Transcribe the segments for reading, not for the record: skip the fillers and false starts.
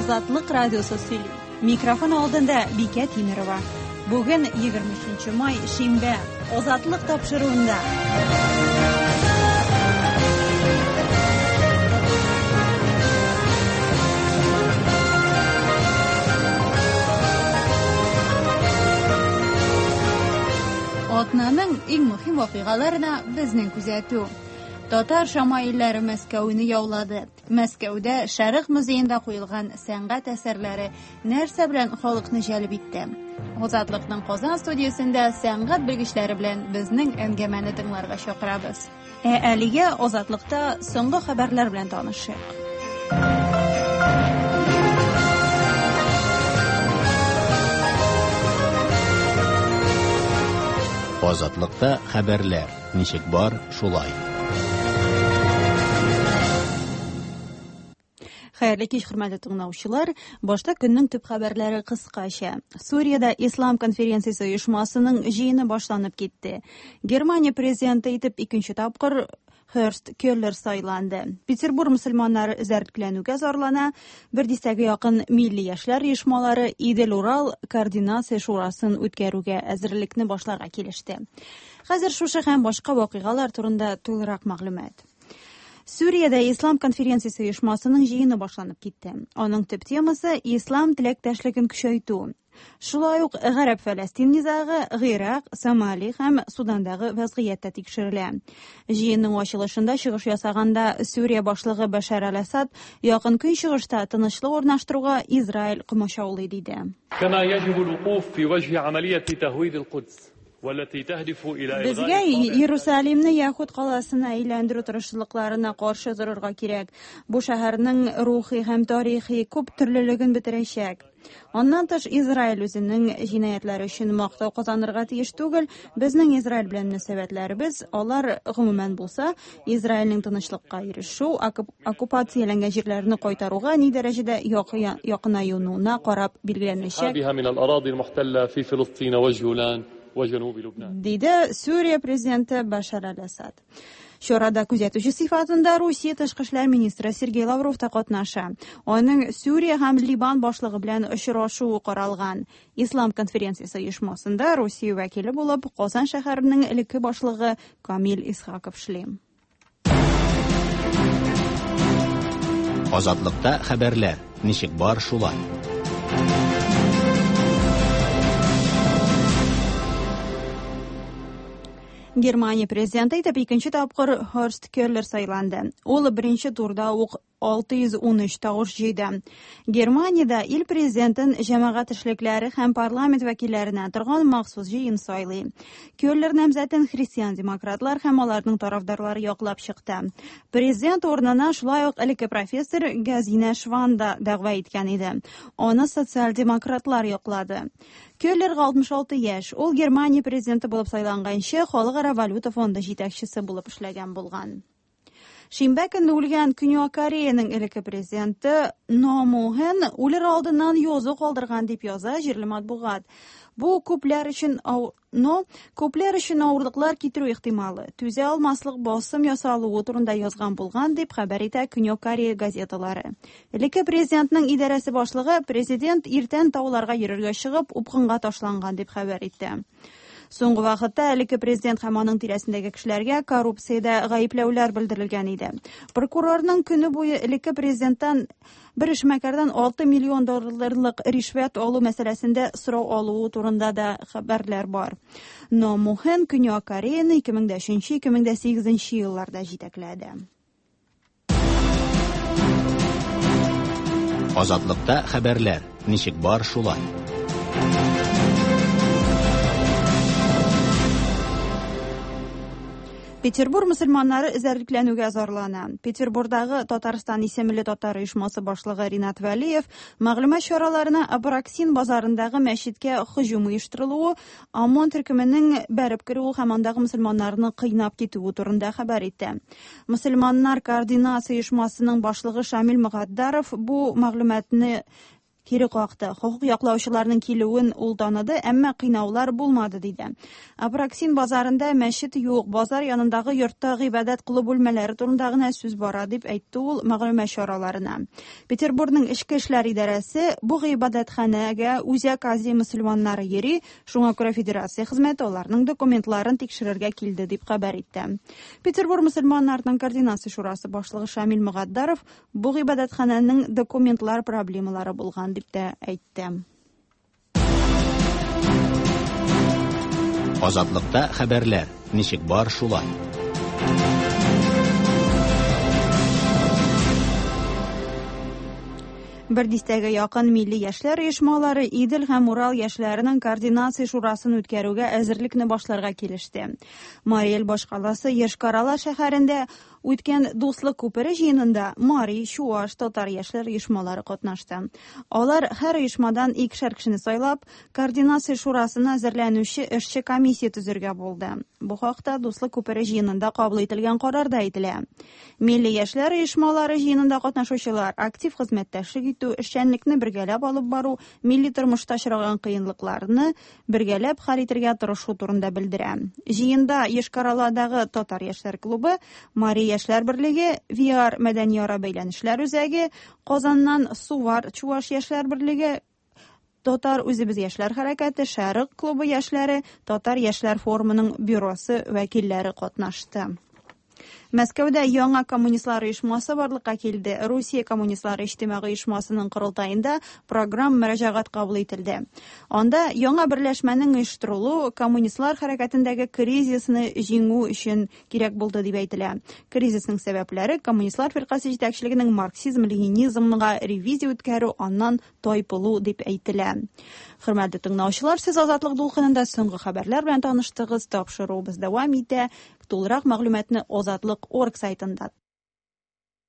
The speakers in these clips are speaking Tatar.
Азатлык радиосы сөйли. Микрофон алдында Бикә Тимерова. Бүген 23 май, шимбә. Азатлык тапшыруында. Атнаның иң мөһим вакыйгаларына безнең күзәтү. Татар шамаилләре Мәскәүне яулады. Мәскәүдә Шәрык музеенда куелган сәнгать әсәрләре нәрсә белән халыкны җәлеп итте? Азатлыкның Казан студиясендә сәнгать белгечләре белән безнең әңгәмәне тыңларга чакырабыз. Ә әлегә Азатлыкта соңгы хәбәрләр белән танышыйк. Азатлыкта хәбәрләр ничек бар, шулай. Хәерле кич, хөрмәтле тыңлаучылар. Башта көннең төп хәбәрләре кыскача. Суриядә Ислам конференциясе оешмасының җыены башланып китте. Германия президенты итеп икенче тапкыр Херст Келлер сайланды. Петербург мөселманнары эзәрлекләнүгә зарлана. Бер дистәгә якын милли яшьләр оешмалары Идел-Урал координация шурасын үткәрүгә әзерлекне башларга килеште. Хәзер шушы һәм башка вакыйгалар турында тулырак мәгълүмат. Сүриядә Ислам конференциясе оешмасының җыены башланып китте. Аның төп темасы ислам теләктәшлеген көчәйтү. Шулай ук Гарәп-Фәләстин низагы, Гыйрак, Сомали һәм Судандагы вәзгыять тә тикшерелә. Җыенның ачылышында чыгыш ясаганда Сүрия башлыгы Бәшәр әл-Асад Якын Көнчыгышта тынычлык урнаштыруга Израиль комачаулый диде. كما يجب الوقوف في وجه عملية تهويد القدس والتي تهدف إلى إلغاء Безгә Иерусалимны Яһүд каласына әйләндерү тырышлыкларына каршы торырга кирәк. Бу шәһәрнең рухи һәм тарихи күп төрлелеген бетерәчәк. Аннан тыш, Израиль үзенең җинаятьләре өчен мактау казанырга тиеш түгел. Безнең Израиль белән мөнәсәбәтләребез, алар гомумән булса, Израильнең тынычлыкка ирешү, оккупацияләнгән җирләрне кайтаруга ни дәрәҗәдә якынаюына карап билгеләнәчәк. انسحابها من الأراضي المحتلة في فلسطين والجولان وجنوب لبنان. Диде Сүрия президенты Башар аль-Асад. Чарада күзәтүче сыйфатында Русия тышкы эшләр министры Сергей Лавров та катнаша. Аның Сүрия һәм Ливан башлыгы белән очрашуы каралган. Ислам конференциясе оешмасында Русия вәкиле булып Казан шәһәренең элекке башлыгы Камил Исхаков эшли. Азатлыкта хәбәрләр ничек бар, шулай. Германия президенты итеп икенче тапкыр Хорст Келлер сайланды. Ул беренче турда ук 613 тавыш җыйды. Германиядә ил президентын җәмәгать эшлекләре һәм парламент вәкилләреннән торган махсус җыен сайлый. Келлер намзәтен христиан-демократлар һәм аларның тарафдарлары яклап чыкты. Президент урынына шулай ук элекке профессор Газина Шван да дәгъва иткән иде. Аны социал-демократлар яклады. Келлерга 66 яшь. Ул Германия президенты булып сайланганчы Халыкара валюта фонды җитәкчесе булып эшләгән булган. Шимбә көнне үлгән Көньяк Кореяның элекке президенты Но Му Хэн үлер алдыннан язу калдырган дип яза җирле матбугат. Бу күпләр өчен Но күпләр өчен авырлыклар китерү ихтималы, түзә алмаслык басым ясалуы турында язган булган дип хәбәр итә Көньяк Корея газеталары. Элекке президентның идарәсе башлыгы президент иртән тауларга йөрергә чыгып упкынга ташланган дип хәбәр итте. Соңгы вакытта элекке президент һәм аның тирәсендәге кешеләргә коррупциядә гаепләүләр белдерелгән иде. Прокурорның көне буе элекке президенттан бер эшмәкәрдән 6 миллион долларлык ришвәт алу мәсьәләсендә сорау алуы турында да хәбәрләр бар. Но Мухен Көньяк Кореяны 2003-2008 елларда җитәкләде. Азатлыкта хәбәрләр ничек бар, шулай. Петербур мөселманнары эзәрлекләнүгә зарлана. Петербурдагы Татарстан исемле татар оешмасы башлыгы Ринат Вәлиев мәгълүмат чараларына Апраксин базарындагы мәчеткә һөҗүм оештырылуы, ОМОН төркеменең бәреп керүе һәм андагы мөселманнарны кыйнап китүе турында хәбәр итте. Мөселманнар координация оешмасының башлыгы Шамил Мөгатдаров бу мәгълүматны кире какты. Хокук яклаучыларның килүен ул таныды, әмма кыйнаулар булмады, диде. Апраксин базарында мәчет юк, базар янындагы йортта гыйбадәт кылу бүлмәләре турында гына сүз бара, дип әйтте ул мәгълүмат чараларына. Петербургның эчке эшләр идарәсе бу гыйбадәтханәгә Үзәк Азия мөселманнары йөри, шуңа күрә федерация хезмәте аларның документларын тикшерергә килде, дип хәбәр итте. Петербург мөселманнарының координация шурасы башлыгы Шамил Мөгатдаров бу гыйбадәтханәнең документлар проблемалары булган дип тә әйтте. Азатлыкта хәбәрләр, ничек бар шулай. Бер дистәгә якын милли яшьләр оешмалары Идел һәм Урал яшьләренең координация шурасын үткәрүгә әзерлекне башларга килеште. Мари Эл башкаласы Йошкар-Ола шәһәрендә үткән Дуслык күпере җыенында мари, чуаш, татар яшьләр оешмалары катнашты. Алар һәр оешмадан икешәр кешене сайлап, координация шурасына әзерләнүче эшче комиссия төзергә булды. Бу хакта Дуслык күпере җыенында кабул ителгән карарда әйтелә. Милли яшьләр оешмалары җыенында катнашучылар актив хезмәттәшлек итү, эшчәнлекне бергәләп алып бару, милли тормышта очраган кыенлыкларны бергәләп хәл итергә тырышу турында белдерә. Җыенда Йошкар-Оладагы Татар яшьләр клубы, Мари яшьләр берлеге, VR мәдәниара бәйләнешләр үзәге, Казаннан Сувар чуаш яшьләр берлеге, Татар үзебез яшьләр хәрәкәте, Шәрык клубы яшьләре, Татар яшьләр форумының бюросы вәкилләре катнашты. Мәскәүдә яңа коммунистлар оешмасы барлыкка килде. Русия коммунистлары иҗтимагый оешмасының корылтаенда программ мөрәҗәгать кабул ителде. Анда яңа берләшмәнең оештырылу коммунистлар хәрәкәтендәге кризисны җиңү өчен кирәк булды дип әйтелә. Кризисның сәбәпләре коммунистлар фиркасе җитәкчелегенең марксизм-ленинизмга ревизия үткәрү, аннан тайпылу дип әйтелә. Хөрмәтле тыңлаучылар, сез Азатлык дулкынында соңгы хәбәрләр белән таныштыгыз. Тапшыруыбыз дәвам итә. Тулырак мәгълүматны Азатлык.орг сайтында.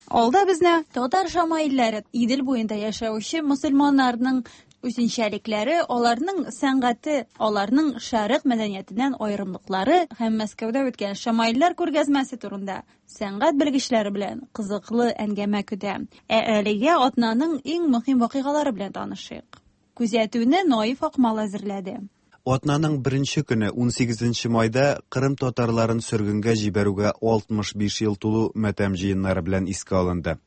Алда безне татар шамаилләре, Идел буенда яшәүче мөселманнарның үзенчәлекләре, аларның сәнгате, аларның шәрык мәдәниятеннән аерымлыклары һәм Мәскәүдә үткән шамаилләр күргәзмәсе турында сәнгать белгечләре белән кызыклы әңгәмә көтә. Ә әлегә атнаның иң мөһим вакыйгалары белән танышыйк. Күзәтүне Наиф Акмал әзерләде. Атнаның беренче көне 18 майда Кырым татарларын сөргенгә җибәрүгә 65 ел тулу матәм җыеннары белән искә алынды.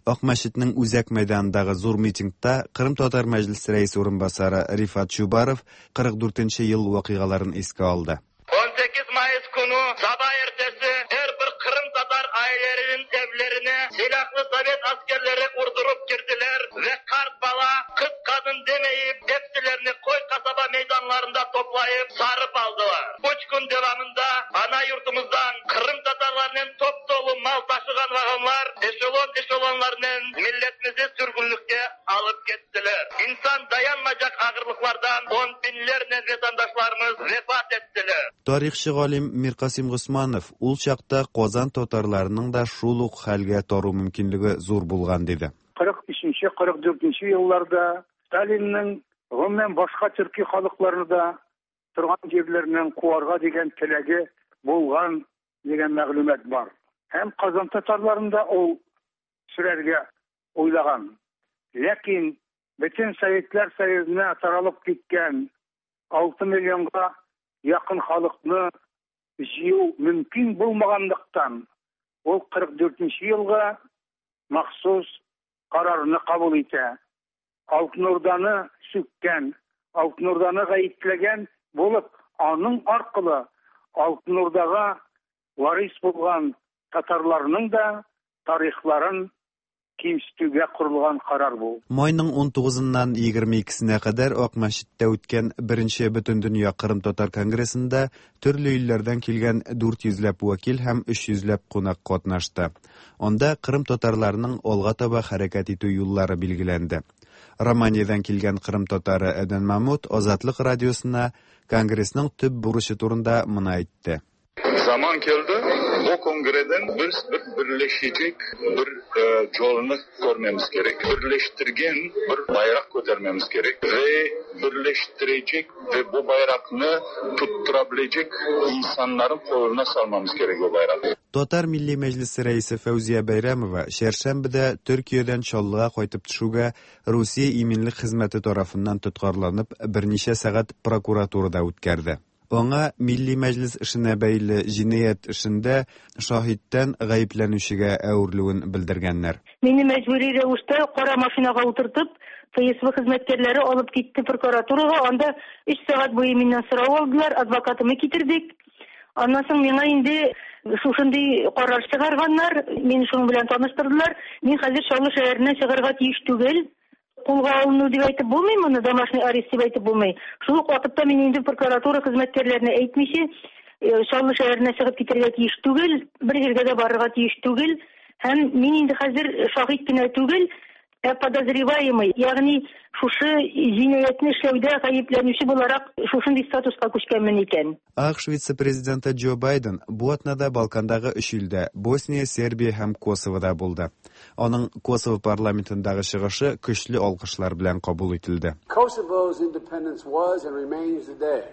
Ак мәчетнең үзәк мәйданындагы зур митингта Кырым татар мәҗлесе рәисе урынбасары Рифат Чубаров 44 ел вакыйгаларын искә алды. 18 Mayıs günü sabah ertesi her bir Kırım Tatar ailelerinin evlerine silahlı Sovet askerleri vurdurup girdiler ve kart bala, kız kadın demeyip hepsilerini koy kasaba meydanlarında toplayıp sarıp aldılar. 3 gün devamında ana yurtumuzdan Kırım Tatarlarının top dolu mal taşıgan vagonlar eşelon eşelonlarının milletimizi sürgünlükte alıp gittiler. İnsan dayanmayacak ağırlıklardan on binlerle vatandaşlarımız vefat ettiler. Тарихчы галим Миркасим Госманов ул чакта Казан татарларының да шул ук хәлгә тару мөмкинлеге зур булган диде. 43-44 елларда Сталинның гомумән башка төрки халыкларны да торган җирләреннән куарга дигән теләге булган дигән мәгълүмат бар. Һәм Казан татарларын да ул сөрәргә уйлаган. Ләкин бөтен Советлар Союзына таралып киткән 6 миллионга якын халыкны җыю мөмкин булмаганлыктан, ул 44 елга махсус карарны кабул итә. Алтын Урданы сүккән, Алтын Урданы гаепләгән булып, аның аркылы Алтын Урдага варис булган татарларның да тарихларын кимсетүгә корылган карар бу. Майның 19-ннан 22-сенә кадәр Ак мәчеттә үткән беренче Бөтендөнья Кырым татар конгрессында төрле илләрдән килгән 400 ләп вәкил һәм 300 ләп кунак катнашты. Анда Кырым татарларының алга таба хәрәкәт итү юллары билгеләнде. Романиядән килгән Кырым татары Әдән Мамут Азатлык радиосына конгрессның төп бурычы турында моны әйтте. Zaman keldi, bu kongreden biz bir birleşecek bir yolunu görmemiz gerek. Birleştirgen bir bayrak götermemiz gerek ve birleştirecek ve bu bayrakны tutturabilecek insanların koluna salmamız gerek o bayrağı. Татар Милли Мәҗлесе рәисе Фәүзия Бәйрәмова чәршәмбедә Төркиядән Чаллыга кайтып төшүгә Русия иминлек хезмәте тарафыннан тоткарланып, берничә сәгать прокуратурада үткәрде. Аңа Милли Мәҗлес эшенә бәйле җинаять эшендә шаһиттән гаепләнүчегә әверелүен белдергәннәр. Мине мәҗбүри рәвештә кара машинага утыртып, ФСБ хезмәткәрләре алып китте прокуратурага. Анда 3 сәгать буе миннән сорау алдылар, адвокатымны китердек. Аннан соң миңа инде шушындый карар чыгарганнар, мине шуның белән таныштырдылар. Мин хәзер Чаллы шәһәреннән чыгарга тиеш түгел. Кулга алыну дип әйтеп булмый моны, домашний арест дип әйтеп булмый. Шул ук вакытта мин инде прокуратура хезмәткәрләренә әйтмичә, Чаллы шәһәренә чыгып китәргә тиеш түгел, бер җиргә дә барырга тиеш түгел. Һәм мин инде хәзер шаһит кенә түгел, ә подозреваемый, ягъни шушы җинаятьне эшләүдә гаепләнүче буларак шушындый статуска күчкәнмен икән. АКШ вице-президенты Джо Байден бу атнада Балкандагы өч илдә Босния, Сербия һәм Косовода булды. Аның Косово парламентындагы чыгышы көчле алкышлар белән кабул ителде. Kosovo's independence was and remains today,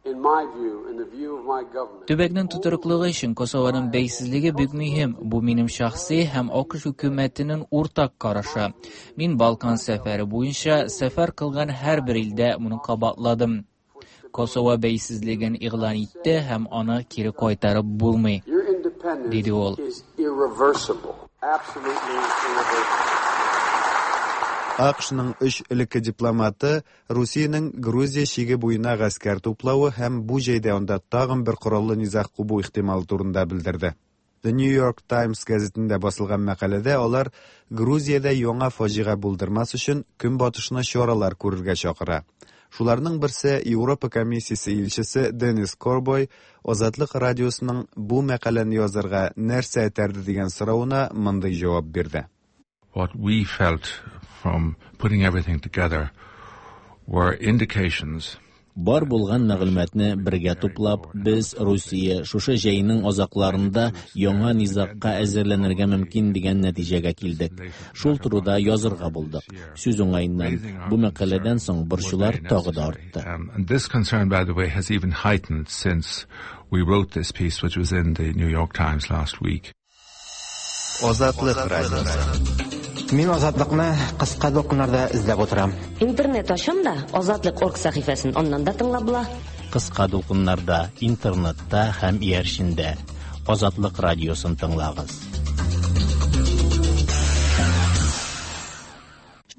in my view and the view of my government. Төбәкнең тотрыклылыгы өчен Косованың бәйсезлеге бик мөһим. Бу минем шәхси һәм АКШ хөкүмәтенең уртак карашы. Мин Балкан сәфәре буенча сәфәр кылган һәрбер илдә моны кабатладым. Косово бәйсезлеген игълан итте һәм аны кире кайтарып булмый, Your independence диде ул. is irreversible, absolutely irreversible. АКШның өч элекке дипломаты Русиянең Грузия чиге буена гаскәр туплавы һәм бу җәйдә анда тагын бер кораллы низаг кубу ихтималы турында белдерде. The New York Times газетендә басылган мәкаләдә алар Грузиядә яңа фаҗига булдырмас өчен көнбатышны чаралар күрергә чакыра. Шуларның берсе Европа комиссиясе илчесе Денис Корбой Азатлык радиосының бу мәкаләне язарга нәрсә этәрде дигән соравына мондый җавап бирде. What we felt from putting everything together were indications Бар булган мәгълүматны бергә туплап, без Русия шушы җәйнең азакларында яңа низагка әзерләнергә мөмкин дигән нәтиҗәгә килдек. Шул турыда язырга булдык. Сүз уңаеннан, бу мәкаләдән соң борчулар тагы да артты. And this concern, by the way, has even heightened since we wrote this piece, which was in the New York Times last week. Азатлык радиосы. Мин Азатлыкны кыска дулкыннарда эзләп утырам. Интернет ачам да, Азатлык орг сәхифәсен аннан да тыңлап була. Кыска дулкыннарда, интернетта һәм иярчендә Азатлык радиосын тыңлагыз.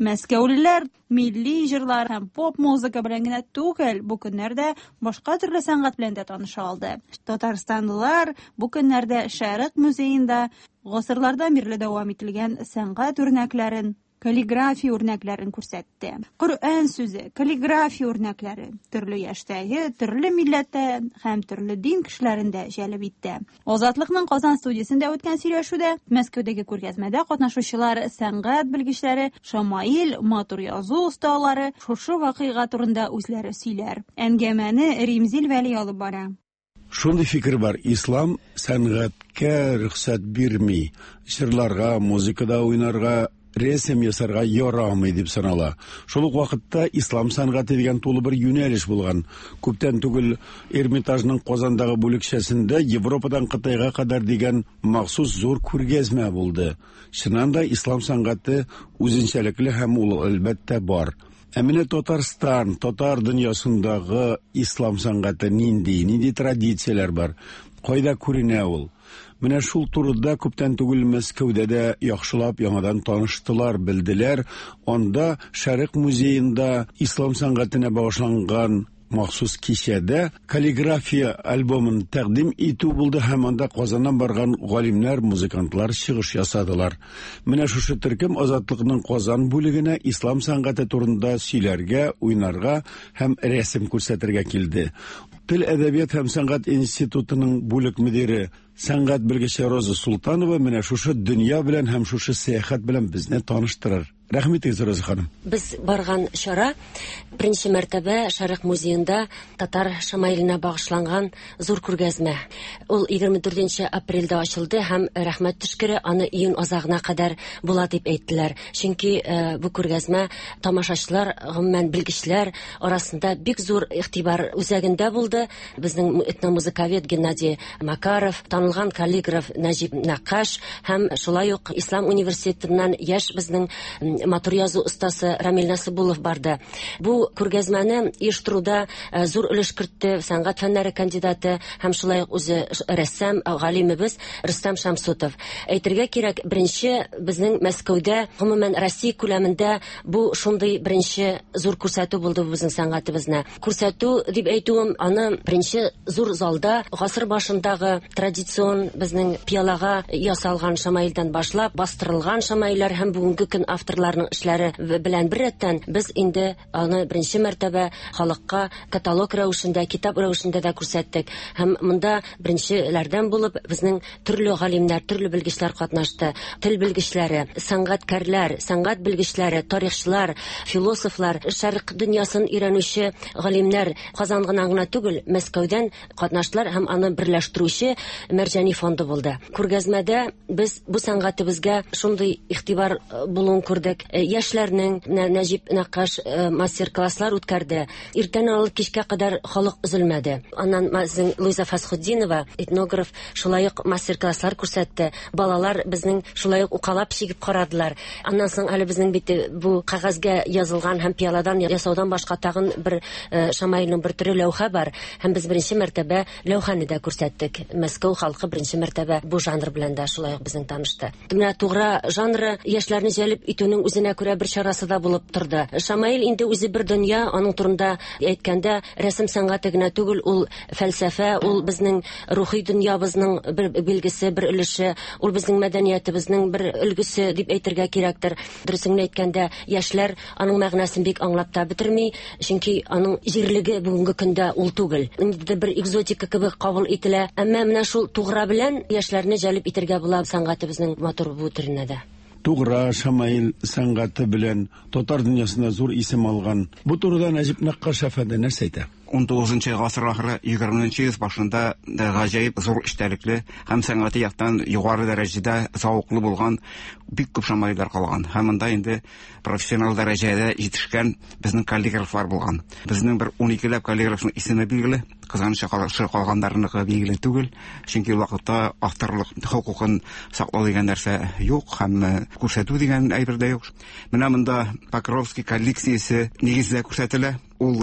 Мәскәүлеләр милли җырлар һәм поп музыка белән генә түгел, бу көннәрдә башка төрле сәнгать белән дә таныша алды. Татарстанлылар бу көннәрдә Шәрык музеенда гасырлардан бирле дәвам ителгән сәнгать үрнәкләрен, каллиграфия үрнәкләрен күрсәтте. Коръән сүзе, каллиграфия үрнәкләре төрле яшьтәге, төрле милләттә һәм төрле дин кешеләрен дә җәлеп итте. Азатлыкның Казан студиясендә үткән сөйләшүдә Мәскәүдәге күргәзмәдә катнашучылар, сәнгать белгечләре, шамаил, матур язу осталары шушы вакыйга турында үзләре сөйләр. Әңгәмәне Римзил Вәли алып бара. Шундый фикер бар, ислам сәнгатькә рөхсәт бирми. Җырларга, музыкада уйнарга, рәсем ясарга ярамый дип санала. Шул ук вакытта ислам сәнгате дигән тулы бер юнәлеш булган. Күптән түгел Эрмитажның Казандагы бүлекчәсендә Европадан Кытайга кадәр дигән махсус зур күргәзмә булды. Чыннан да ислам сәнгате үзенчәлекле һәм ул әлбәттә бар. Ә менә Татарстан, татар дөньясындагы ислам сәнгате нинди, нинди традицияләр бар, кайда күренә ул? Менә шул турыда күптән түгел Мәскәүдә дә яхшылап яңадан таныштылар, белделәр. Анда Шәрык музеенда ислам сәнгатенә багышланган махсус кичәдә каллиграфия альбомын тәкъдим итү булды һәм анда Казаннан барган галимнәр, музыкантлар чыгыш ясадылар. Менә шушы төркем Азатлыкның Казан бүлегенә ислам сәнгате турында сөйләргә, уйнарга һәм рәсем күрсәтергә килде. Тел, әдәбият һәм сәнгать институтының бүлек мөдире, сәнгать белгече Роза Султанова менә шушы дөнья белән һәм шушы сәяхәт белән безне таныштырыр. Рәхим итегез, Роза ханым. Без барган чара беренче мәртәбә Шәрык музеенда татар шамаиленә багышланган зур күргәзмә. Ул 24 апрельдә ачылды һәм, рәхмәт төшкере, аны июнь азагына кадәр була дип әйттеләр. Чөнки бу күргәзмә тамашачылар, гомумән белгечләр арасында бик зур игътибар үзәгендә булды. Безнең этномузыковед Геннадий Макаров, танылган каллиграф Нәҗип Нәккаш һәм шулай ук Ислам университетыннан яшь безнең матур язу остасы Рамил Насыбуллов барды. Бу күргәзмәне оештыруда зур өлеш кертте сәнгать фәннәре кандидаты һәм шулай ук үзе рәссам, галимебез Рөстәм Шәмсутов. Әйтергә кирәк, беренче безнең Мәскәүдә, гомумән Россия күләмендә бу шундый беренче зур күрсәтү булды бу безнең сәнгатебезне. Күрсәтү дип әйтүем, аны беренче зур залда гасыр башындагы традицион безнең пиалага ясалган шамаилдән башлап, бастырылган шамаилләр һәм бүгенге көн авторларының эшләре белән беррәттән без инде аны беренче мәртәбә халыкка каталог рәвешендә, китап рәвешендә дә күрсәттек. Һәм монда беренчеләрдән булып безнең төрле галимнәр, төрле белгечләр катнашты. Тел белгечләре, сәнгатькәрләр, сәнгать белгечләре, тарихчылар, философлар, шәрык дөньясын өйрәнүче галимнәр Казан гына гына түгел, Мәскәүдән катнаштылар һәм аны берләштерүче Мәрҗани фонды булды. Күргәзмәдә без бу сәнгатебезгә шундый игътибар булуын күрдек. Яшьләрнең Нәҗип Нәккаш мастер-класслар үткәрде. Иртән алып кичкә кадәр халык өзелмәде. Аннан безнең Луиза Фәсхетдинова, этнограф, шулай ук мастер-класслар күрсәтте. Балалар безнең шулай ук укалап чигеп карадылар. Аннан соң әле безнең бит бу кәгазьгә язылган һәм пиаладан ясаудан башка тагын бер шамаилның бер төре ләүхә бар. Һәм без беренче мәртәбә ләүхәне дә күрсәттек. Мәскәү халкы беренче мәртәбә бу жанр белән дә шулай ук безнең танышты. Менә тугра жанры яшьләрне җәлеп итүнең үзенә күрә бер чарасы да булып торды. Шамаил инде үзе бер дөнья, аның турында әйткәндә, рәсем сәнгате генә түгел, ул фәлсәфә, ул безнең рухи дөньябызның бер билгесе, бер өлеше, ул безнең мәдәниятебезнең бер өлгесе дип әйтергә кирәктер. Дөресен генә әйткәндә, яшьләр аның мәгънәсен бик аңлап та бетерми, чөнки аның җирлеге бүгенге көндә ул түгел. Ниндидер бер экзотика кебек кабул ителә. Әмма менә шул тугра белән яшьләрне җәлеп итергә була сәнгатебезнең матур бу төренә дә. Тугра, шамаил сәнгате белән татар дөньясында зур исем алган. Бу турыда Нәҗип Нәккаш әфәнде нәрсә әйтә? Унтугызынчы гасыр ахыры, егерменче йөз башында гаҗәеп зур эчтәлекле һәм сәнгати яктан югары дәрәҗәдә зәвыклы булган бик күп шамаилләр калган. Һәм монда инде профессионал дәрәҗәдә җитешкән безнең каллиграфлар булган. Безнең бер уникеләп каллиграфның исеме билгеле, кызганычка каршы калганнарыныкы билгеле түгел, чөнки ул вакытта авторлык хокукын саклау дигән нәрсә юк һәм күрсәтү дигән әйбер дә юк. Менә монда Покровский коллекциясе нигездә күрсәтелә. Ул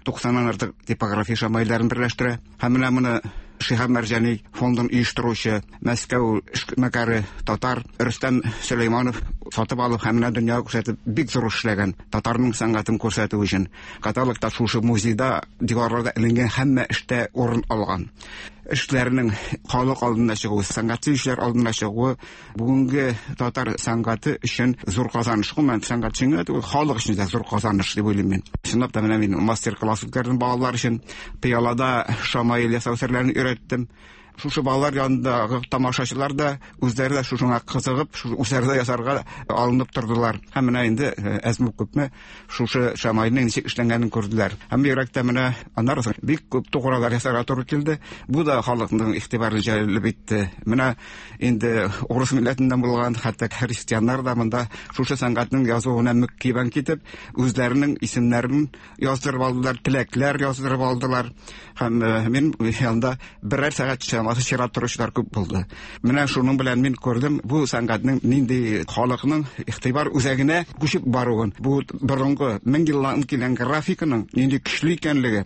90-нан артык типография шамаилләрен берләштерә. Һәм менә моны Шиһаб Мәрҗани фондын оештыручы Мәскәү эшмәкәре татар Рөстәм Сөләйманов сатып алып һәм менә дөньяга күрсәтеп бик зур эш эшләгән татарның сәнгатен күрсәтү өчен. Каталогта шушы музейда диварларда эленгән һәммә эштә урын алган. Эшләренең халык алдына чыгуы, сәнгать сөючеләр алдына чыгуы Бүгенге татар сәнгате өчен зур казаныш. Гомумән, сәнгать өчен генә түгел, халык өчен дә зур казаныш дип уйлыйм мин. Чынлап та менә мин мастер-класс үткәрдем балалар өчен. Пыялада шамаил ясау серләрен өйрәттем. Шушы балалар янындагы тамашачылар да үзләре дә шушыңа кызыгып, шушы үзләре дә ясарга алынып тордылар. Һәм менә инде әзме-күпме шушы шамаилнең ничек эшләнгәнен күрделәр. Һәм бигрәк тә менә аннары соң бик күп тугралар ясарга туры килде. Бу да халыкның игътибарын җәлеп итте. Менә Инде урыс милләтеннән булган, хәтта христианнар да монда шушы сәнгатьнең язуына мөккибән китеп, үзләренең исемнәрен яздырып алдылар, теләкләр яздырып алдылар. Һәм мин янда берәр сәгать чамасы чират торучылар күп булды. Менә шуның белән мин күрдем, бу сәнгатьнең нинди халыкның игътибар үзәгенә күчеп баруын, бу борынгы мең еллан килгән графиканың нинди көчле икәнлеге,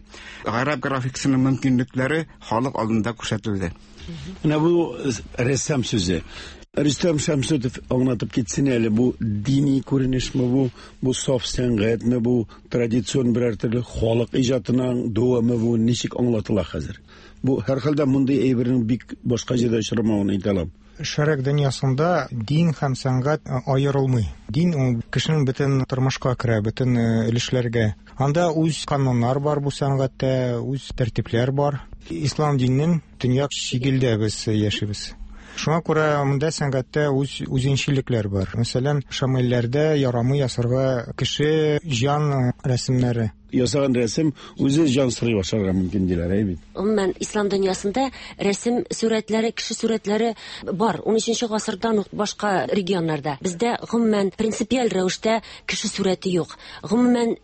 гарәп графикасының мөмкинлекләре халык алдында күрсәтелде. Менә бу рәссам сүзе. Рөстәм Шәмсутов аңлатып китсен әле, бу дини күренешме бу, бу саф сәнгатьме бу, традицион берәр төрле халык иҗатының дәвамы бу, ничек аңлатыла хәзер? Бу һәрхәлдә мондый әйбернең бик башка җирдә очрамавын әйтә алам. Шәрык дөньясында дин һәм сәнгать аерылмый. Дин ул кешенең бөтен тормышка керә, бөтен өлешләргә. Анда үз кануннар бар бу сәнгатьтә, үз тәртипләр бар. Ислам диненең төньяк чигелдә без яшибез. Шуңа күрә монда сәнгатьтә үз үзенчәлекләр бар. Мәсәлән, шамаилләрдә ярамый ясарга кеше җан рәсемнәре. Ясаган рәсем үзе җан сорый башларга мөмкин диләр, әй бит. Гомумән, ислам дөньясында рәсем сурәтләре, кеше сурәтләре бар. 13 гасырдан ук башка регионнарда. Бездә гомумән принципиаль рәвештә кеше сурәте юк. Гомумән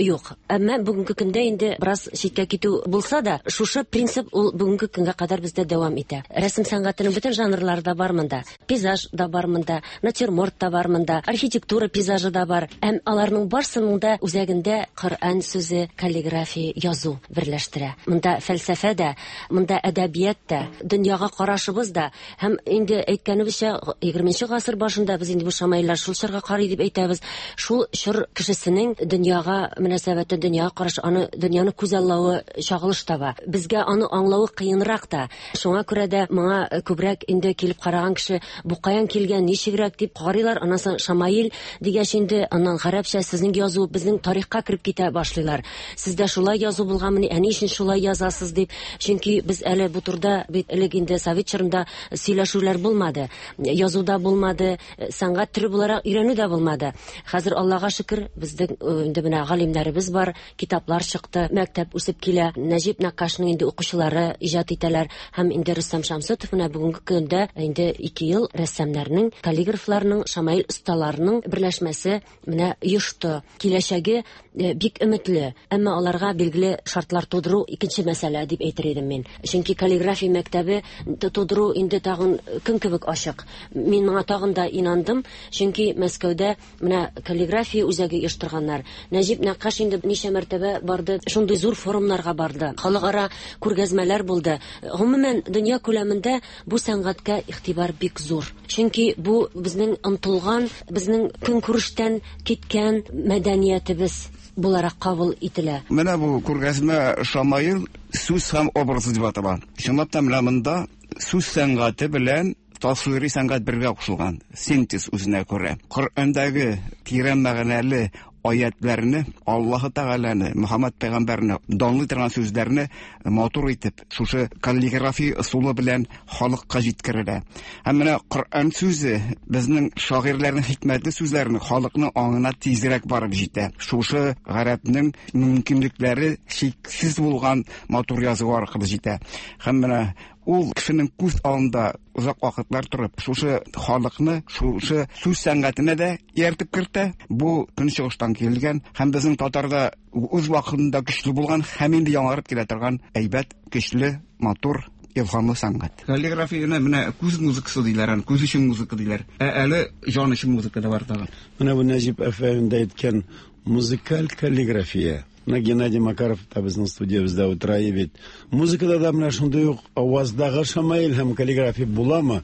юк. Әмма бүгенге көндә инде бераз читкә китү булса да, шушы принцип ул бүгенге көнгә кадәр бездә дәвам итә. Рәсем сәнгатенең бөтен жанрлары да бар монда. Пейзаж да бар монда, натюрморт та бар монда, архитектура пейзажы да бар. Һәм аларның барсының да үзәгендә Коръән сүзе, каллиграфия, язу берләштерә. Монда фәлсәфә дә, монда әдәбият та, дөньяга карашыбыз да һәм инде әйткәнебезчә, 20 гасыр башында без инде бу шамаилләр шул чорга карый дип әйтәбез. Шул чор кешесенең дөньяга мөнәсәбәте, дөньяга карашы, аны дөньяны күзаллавы чагылыш таба. Безгә аны аңлавы кыенрак та. Шуңа күрә дә моңа күбрәк инде килеп караган кеше бу каян килгән, ничегрәк дип карыйлар. Аннан соң шамаил дигәч инде аннан гарәпчә сезнең язу безнең тарихка кереп китә башлыйлар. Сездә шулай язу булганмыни, ә ни өчен шулай язасыз дип. Чөнки без әле бу турыда бит элек инде совет чорында сөйләшүләр булмады. Язу да булмады, сәнгать төре буларак өйрәнү дә булмады. Хәзер Аллага шөкер, безнең инде менә галимнәребез бар, китаплар чыкты, мәктәп үсеп килә. Нәҗип Нәккашның инде укучылары иҗат итәләр һәм инде Рөстәм Шәмсутов менә бүгенге көндә инде 2 ел рәссамнарның, каллиграфларның, шамаил осталарының берләшмәсе менә оешты. Киләчәге бик өметле, әмма аларга билгеле шартлар тудыру икенче мәсьәлә дип әйтер идем мин. Чөнки каллиграфия мәктәбе тудыру инде тагын көн кебек ачык. Мин моңа тагын да инандым, чөнки Мәскәүдә менә каллиграфия үзәге оештырганнар. Нәҗип Нәккаш инде ничә мәртәбә барды, шундый зур форумнарга барды. Халыкара күргәзмәләр булды. Гомумән, дөнья күләмендә бу сәнгатькә игътибар бик зур. Чөнки бу безнең омтылган, безнең көнкүрештән киткән мәдәниятебез буларак кабул ителә. Менә бу күргәзмә Шамаил сүз һәм образы дип атала. Чынлап та менә монда сүз сәнгате белән тасвири сәнгать бергә кушылган, синтез үзенә күрә. Коръәндәге тирән мәгънәле аятләрне, Аллаһы Тәгаләне, Мөхәммәд пәйгамбәрне данлый торган сүзләрне матур итеп, шушы каллиграфия ысулы белән халыкка җиткерелә. Һәм менә Коръән сүзе безнең шагыйрьләрнең хикмәтле сүзләрен халыкның аңына тизрәк барып җитә. Шушы гарәпнең мөмкинлекләре чиксез булган матур язу аркылы җитә. Һәм менә ул кешенең күз алдында озак вакытлар торып, шушы халыкны, шушы сүз сәнгатенә дә ияртеп кертә. Бу көнчыгыштан килгән һәм безнең татарда үз вакытында көчле булган һәм инде яңарып килә торган әйбәт, көчле, матур, илһамлы сәнгать. Каллиграфияне менә күз музыкасы диләр, аны күз өчен музыка диләр. Ә әле җан өчен музыка да бар тагын. Менә бу Нәҗип әфәнде әйткән музыкаль каллиграфия. Менә Геннадий Макаров та безнең студиябездә утыра бит. Музыкада да менә шундый ук аваздагы шамаил һәм каллиграфия буламы?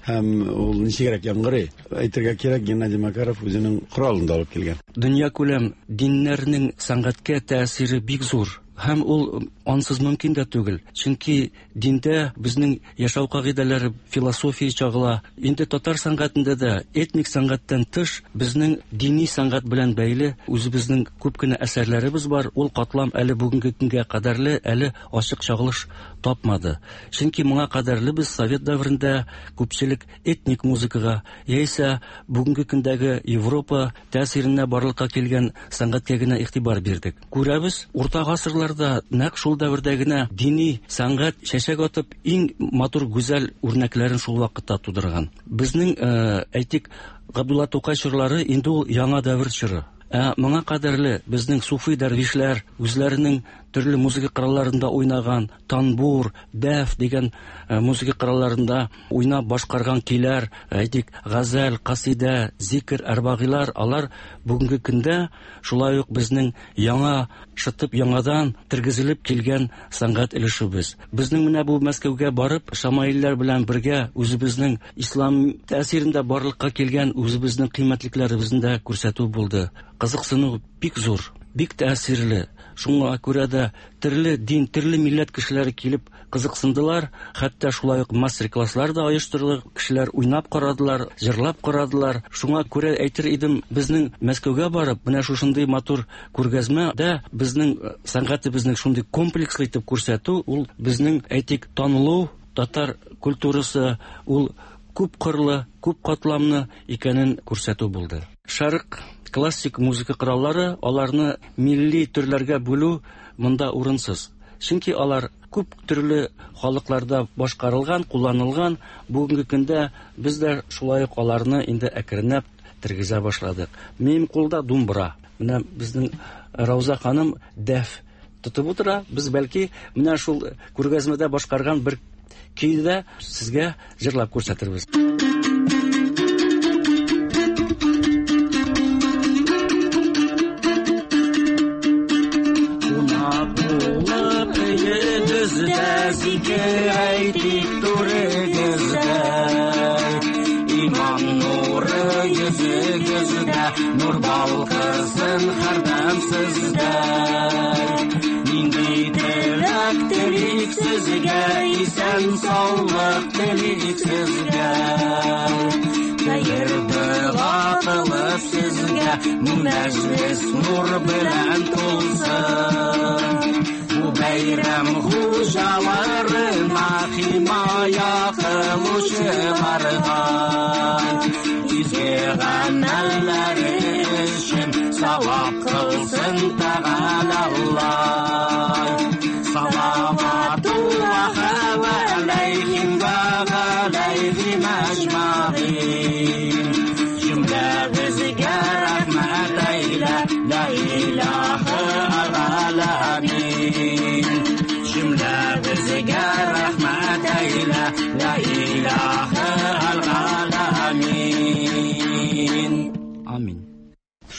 Һәм ул ничегрәк яңгырый? Әйтергә кирәк, Геннадий Макаров үзенең коралын да алып килгән. Дөньякүләм диннәрнең сәнгатькә тәэсире бик зур. Һәм ул ансыз мөмкин дә түгел. Чөнки диндә безнең яшәү кагыйдәләре, философия чагыла. Инде татар сәнгатендә дә этник сәнгатьтән тыш безнең дини сәнгать белән бәйле үзебезнең күп кенә әсәрләребез бар. Ул катлам әле бүгенге көнгә кадәрле әле ачык чагылыш тапмады. Чөнки моңа кадәрле без совет дәверендә күпчелек этник музыкага яисә бүгенге көндәге Европа тәэсиренә барлыкка килгән сәнгатькә генә игътибар бирдек. Күрәбез, урта гасырларда нәкъ шул дәвердә генә дини сәнгать чәчәк атып, иң матур гүзәл үрнәкләрен шул вакытта тудырган. Безнең, әйтик, Габдулла Тукай чорлары инде ул яңа дәвер чоры. Ә моңа кадәрле безнең суфи дәрвишләр үзләренең төрле музыка коралларында уйнаган, танбур, дәф дигән музыка коралларында уйнап башкарган көйләр, әйтик, газәл, касидә, зикр, әрбагыйлар, алар бүгенге көндә шулай ук безнең яңа шытып яңадан тергезелеп килгән сәнгать өлешебез. Безнең менә бу Мәскәүгә барып, шамаилләр белән бергә үзебезнең ислам тәэсирендә барлыкка килгән үзебезнең кыйммәтлекләребезне дә күрсәтү булды. Кызыксыну бик зур, бик тәэсирле. Шуңа күрә дә төрле дин, төрле милләт кешеләре килеп кызыксындылар. Хәтта шулай ук мастер-класслар да оештырдык. Кешеләр уйнап карадылар, җырлап карадылар. Шуңа күрә әйтер идем, безнең Мәскәүгә барып, менә шушындый матур күргәзмә дә безнең сәнгатебезнең шундый комплекслы итеп күрсәтү, ул безнең, әйтик, танылу, татар культурасы, ул күп кырлы, күп катламны икәнен күрсәтү булды. Шәрык классик музыка кораллары, аларны милли төрләргә бүлү монда урынсыз. Чөнки алар күп төрле халыкларда башкарылган, кулланылган. Бүгенге көндә без дә шулай ук аларны инде әкренләп тергезә башладык. Минем кулда думбра. Менә безнең Рауза ханым дәф тотып утыра. Без бәлки менә шул күргәзмәдә башкарган бер көйне дә сезгә җырлап күрсәтербез. Кунак булып өегездә зикер әйтик түрегездә. Иман нуры йөзегездә, нур балкысын һәрдәм сездә. Нинди теләк телик сезгә, исән саулык телик сезгә. Хәер дога кылып сезгә, мәҗлес нур белән тулсын. Бу бәйрәм хуҗаларына химая кылучыларга изге гамәлләре өчен савап кылсын Тәгалә Аллаһ. Салаватуллаһ алейхим ва алейхим әҗмәгыйн. Җөмләбезгә рәхмәт әйлә, ла илаһа галәмин. Җөмләбезгә рәхмәт әйлә, ла илаһа галәмин. Амин.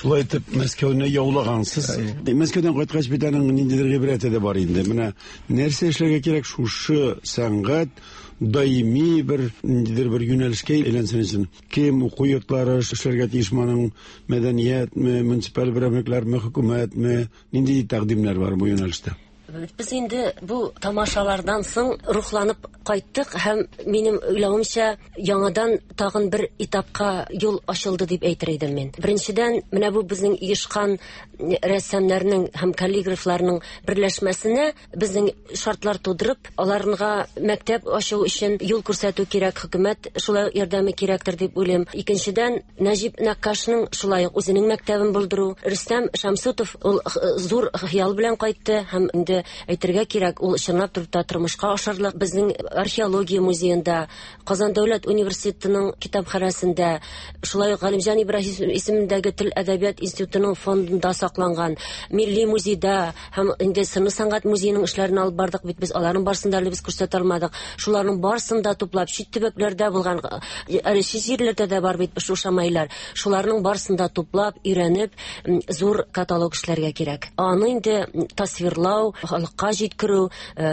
Шулай итеп Мәскәүне яулагансыз. Мәскәүдән кайткач бит аның ниндидер гыйбрәте дә бар инде. Менә нәрсә эшләргә кирәк шушы сәнгать даими бер ниндидер бер юнәлешкә әйләнсен өчен. Кем уку йортлары эшләргә тиеш моның, мәдәниятме, муниципаль берәмлекләрме, хөкүмәтме, нинди тәкъдимнәр бар бу юнәлештә? Без инде бу тамашалардан соң рухланып кайттык һәм минем уйлавымча яңадан тагын бер этапка юл ачылды дип әйтер идем мин. Беренчедән, менә бу безнең оешкан рәссамнарның һәм каллиграфларның берләшмәсенә безнең шартлар тудырып, аларга мәктәп ачу өчен юл күрсәтү кирәк, хөкүмәт шулай ярдәме кирәктер дип уйлыйм. Икенчедән, Нәҗип Нәккашның шулай ук үзенең мәктәбен булдыру. Рөстәм Шәмсутов ул зур хыял белән кайтты һәм инде әйтергә кирәк, ул чынлап торып та тормышка ашырылык. Безнең археология музеенда, Казан дәүләт университетының китапханәсендә, шулай ук Галимҗан Ибраһим исемендәге тел әдәбият институтының фондында сакланган, Милли музейда һәм инде сыны сәнгать музееның эшләрен алып бардык бит без, аларның барысын да әле без күрсәтә алмадык. Шуларның барысын да туплап, чит төбәкләрдә булган, әле чит җирләрдә дә бар бит шул шамайлар. Шуларның барысын да туплап, өйрәнеп, зур каталог эшләргә кирәк. Аны инде тасвирлау, халыкка җиткерү,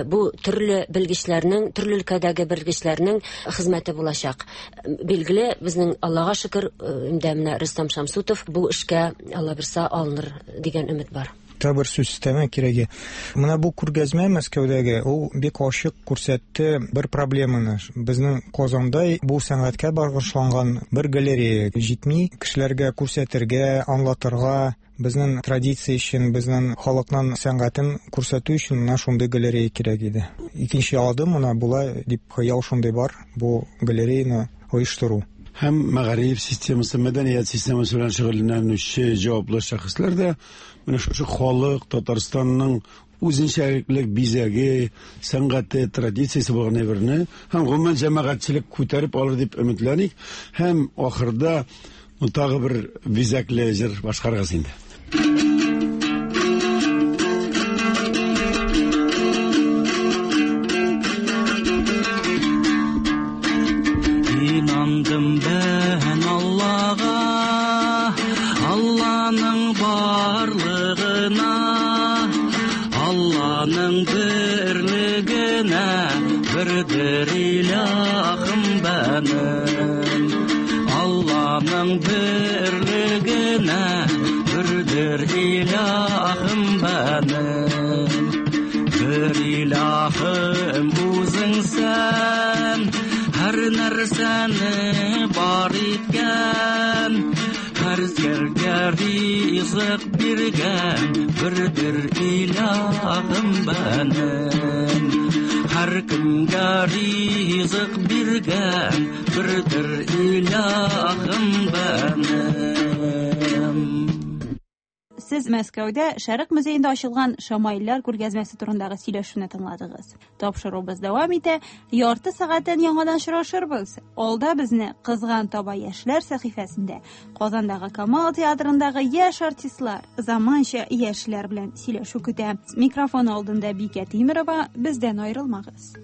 бу төрле белгечләрнең, төрле өлкәдәге белгечләрнең хезмәте булачак. Билгеле, безнең Аллага шөкер, инде менә Рөстәм Шәмсутов бу эшкә Алла бирсә алыныр дигән өмет бар. Тагы бер сүз өстәмә кирәге. Менә бу күргәзмә Мәскәүдәге, ул бик ачык күрсәтте бер проблеманы. Безнең Казанда бу сәнгатькә багышланган бер галерея җитми, кешеләргә күрсәтергә, аңлатырга, безнең традиция өчен, безнең халыкның сәнгатен күрсәтү өчен менә шундый галерея кирәк иде. Икенче адым менә була дип хыял шундый бар, бу галереяны оештыру. Һәм мәгариф системасы, мәдәният системасы белән шөгыльләнүче җаваплы шәхесләр дә менә шушы халык Татарстанның үзенчәлекле бизәге, сәнгате, традициясе булган әйберне һәм гомумән җәмәгатьчелек күтәреп алыр дип өметләник. Һәм ахырда тагы бер бизәкле җыр башкарыгыз инде. Инандым бән Аллага, Алланың барлыгына, Алланың берлегенә, бердер илаһым бәнем. Алланың берлегенә, бердер илаһым бәнем. Бер илаһым үзең сән, һәр нәрсәне бар иткән, һәр зәргә ризык биргән, бердер илаһым бәнем. Һәркемгә ризык биргән бердер илаһым бәнем. Сез Мәскәүдә Шәрык музеенда ачылган шамаилләр күргәзмәсе турындагы сөйләшүне тыңладыгыз. Тапшыруыбыз дәвам итә. Ярты сәгатьтән яңадан очрашырбыз. Алда безне Кызган таба яшьләр сәхифәсендә Казандагы Камал театрындагы яшь артистлар, заманча яшьләр белән сөйләшү көтә. Микрофон алдында Бикә Тимерова, бездән аерылмагыз.